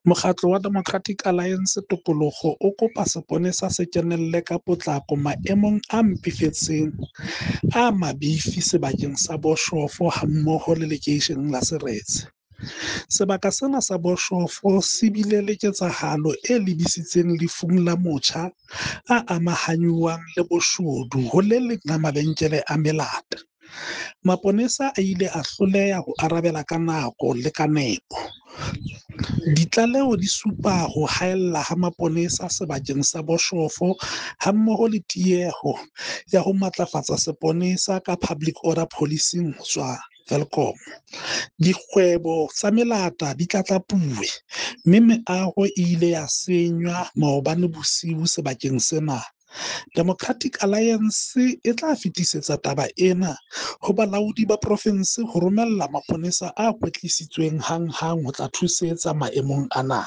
Mokgatlo wa Democratic Alliance Tokoloho o kopa seponesa se kenelle ka potlako maemong a mpefetseng a mabifi sebakeng sa Boshof hammoho le lekeisheneng la Seretse. Sebaka sena sa Boshof se bile le ketsahalo e lebisitseng lefung la motjha a amahangwang le boshodu ho le leng la mabenkele a melata. Maponesa a ile a hloleha ho arabela ka nako le ka nepo. Ditlaleho di supa ho haella ha maponesa sebakeng sa Boshof hammoho le tieho ya ho matlafatsa seponesa ka public order policing ho tswa Welkom. Dikgwebo tsa melata di tlatlapuwe, mme meaho e ile ya senywa maobane bosiu sebakeng sena. Democratic Alliance e tla fetisetsa taba ena ho bolaodi ba profensi ho romella maponesa a kwetlisitsweng hanghang ho tla thusetsa maemong ana.